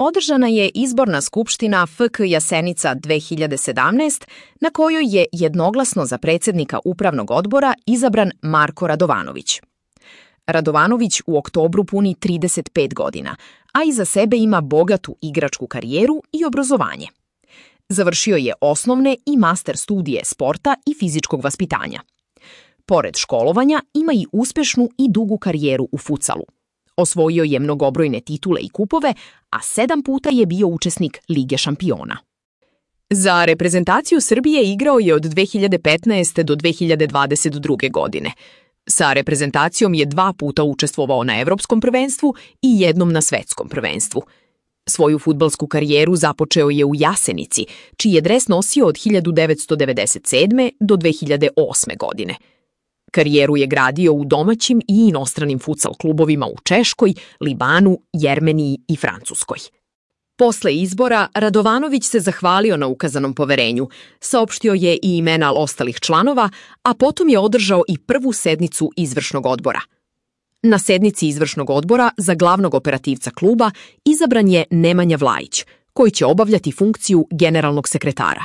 održana je izborna skupština FK Jasenica 2017, na kojoj je jednoglasno za predsjednika upravnog odbora izabran Marko Radovanović. Radovanović u oktobru puni 35 godina, a iza sebe ima bogatu igračku karijeru i obrazovanje. Završio je osnovne i master studije sporta i fizičkog vaspitanja. Pored školovanja ima i uspješnu i dugu karijeru u futsalu. Osvojio je mnogobrojne titule i kupove, a 7 puta je bio učesnik Lige šampiona. Za reprezentaciju Srbije igrao je od 2015. do 2022. godine. Sa reprezentacijom je 2 puta učestvovao na Evropskom prvenstvu i jednom na Svetskom prvenstvu. Svoju fudbalsku karijeru započeo je u Jasenici, čiji je dres nosio od 1997. do 2008. godine. Karijeru je gradio u domaćim i inostranim futsal klubovima u Češkoj, Libanu, Jermeniji i Francuskoj. Posle izbora, Radovanović se zahvalio na ukazanom poverenju, saopštio je i imena ostalih članova, a potom je održao i prvu sednicu izvršnog odbora. Na sednici izvršnog odbora za glavnog operativca kluba izabran je Nemanja Vlajić, koji će obavljati funkciju generalnog sekretara.